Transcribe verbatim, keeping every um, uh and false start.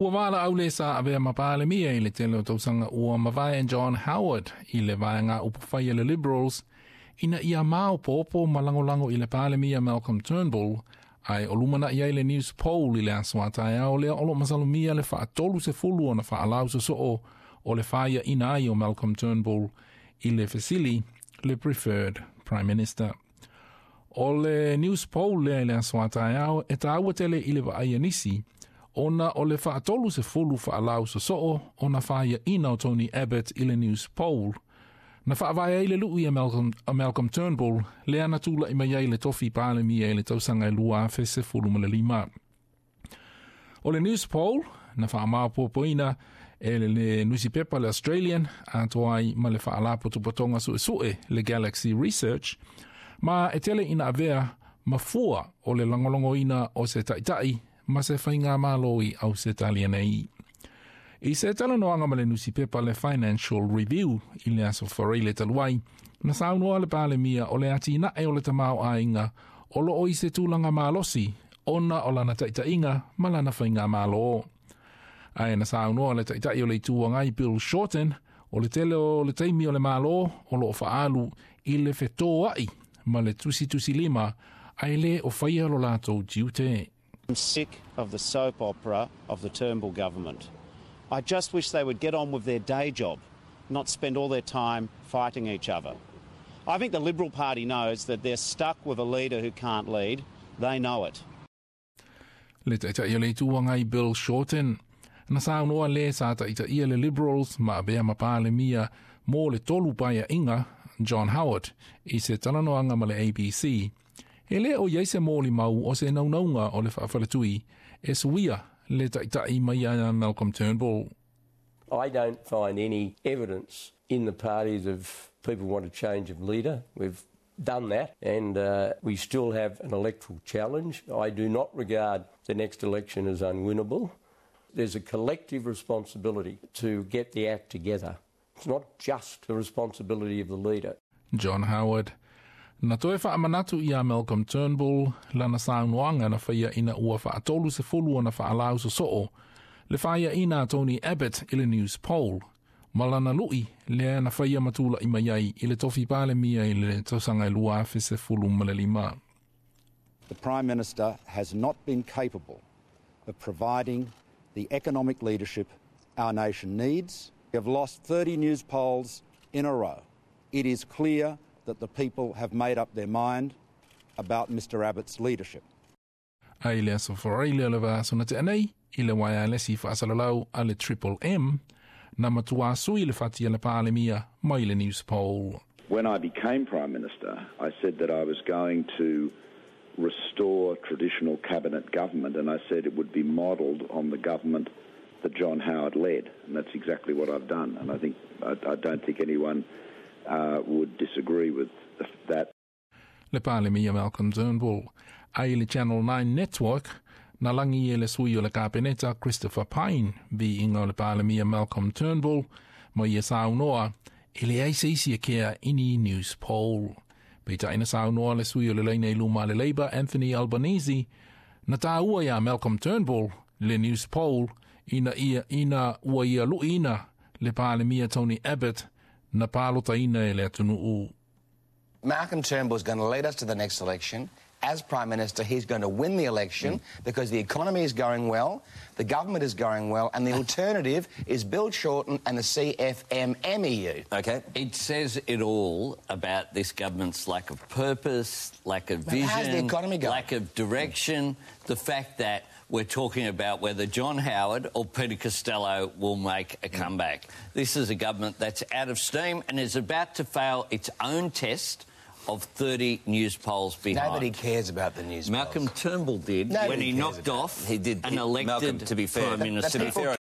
Ua valaau le sa avea ma Palemia i le tele o tausaga ua mavae John Howard i le vaega upufai a le Liberals ina ia maopoopo ma lagolago i le Palemia Malcolm Turnbull, ae o lumanaʻi ai le Newspoll i le aso a taeao lea o lo o masalomia le faatolu sefulu ona faalausosoo o le faiaina ai o Malcolm Turnbull i le fesili le preferred Prime Minister. O le Newspoll lea i le aso a taeao e taua tele i le vaai a nisi, ona o le faatolu sefulu faalausosoo ona faiaina o Tony Abbott i le Newspoll na faavae ai le lui a Malcolm, a Malcolm Turnbull lea na tulaʻi mai ai le tofi Palemia i le tausaga e lua afe sefulu ma le lima. O le Newspoll na faamaopoopoina e le, le nusipepa le Australian atoa ai ma le faalapotopotoga suesue le Galaxy Research, ma e tele ina avea ma fua o le lagolagoina o se taʻitaʻi ma se faigamalo i Ausetalia nei. I se talanoaga ma le nusipepa le Financial Review i le aso Faraile talu ai, na saunoa le Palemia o le atinae o le tamaoaiga o loo i se tulaga malosi ona o lana taʻitaʻiga ma lana faigamalo. Ae na saunoa le taʻitaʻi o le Itu Agai Bill Shorten o le tele o le taimi o le malo o loo faaalu i le fetoaʻi ma le tusitusilima ae lē o faia lo latou tiute. I'm sick of the soap opera of the Turnbull government. I just wish they would get on with their day job, not spend all their time fighting each other. I think the Liberal Party knows that they're stuck with a leader who can't lead. They know it. Le taʻitaʻi o le Itu Agai Bill Shorten. Na saunoa le sa taʻitaʻia le Liberals ma avea ma Palemia mo le tolu paeaiga John Howard i se talanoaga ma le A B C. E lē o i ai se molimau o se naunauga o le faafaletui e suia le taʻitaʻi mai ia Malcolm Turnbull. I don't find any evidence in the parties of people want a change of leader. We've done that and uh, we still have an electoral challenge. I do not regard the next election as unwinnable. There's a collective responsibility to get the act together. It's not just the responsibility of the leader. John Howard. Na toe faamanatu ia Malcolm Turnbull lana saunoaga na faia ina ua faatolu sefulu ona faalausosoo le faiaina a Tony Abbott i le Newspoll ma lana lui lea na faia ma tulaʻi mai ai i le tofi Palemia i le tausaga e lua afe sefulu ma le lima. The Prime Minister has not been capable of providing the economic leadership our nation needs. We have lost thirty Newspolls in a row. It is clear that the people have made up their mind about Mister Abbott's leadership. Ai le aso Faraile o le vaiaso na tea nei, i le waialesi faasalalau a le Triple M, na matua sui le fati a le Palemia mai le Newspoll. When I became Prime Minister, I said that I was going to restore traditional cabinet government, and I said it would be modelled on the government that John Howard led, and that's exactly what I've done. And I think I, I don't think anyone uh, would disagree with that. Le Palemia Malcolm Turnbull. Ai le Channel nine Network, na lagi e le sui o le Kapeneta Christopher Pyne viiga o le Palemia Malcolm Turnbull ma ia saunoa e leai se isi e kea i ni Newspoll. Peitai na saunoa le sui o le laina i luma le Labor Anthony Albanese na tāua ia Malcolm Turnbull le Newspoll ina, ia, ina ua ia luʻiina le Palemia Tony Abbott na palotaina e le atunuu. Malcolm Turnbull is going to lead us to the next election. As Prime Minister, he's going to win the election mm. because the economy is going well, the government is going well, and the alternative is Bill Shorten and the C F M M E U. Okay. It says it all about this government's lack of purpose, lack of vision, How's the economy going? Lack of direction, the fact that we're talking about whether John Howard or Peter Costello will make a comeback. This is a government that's out of steam and is about to fail its own test of thirty Newspolls behind. Nobody cares about the Newspolls. Malcolm Turnbull did. Nobody When he cares knocked about off it. He did. An elected Malcolm, to be fair, Prime Minister. To be fair,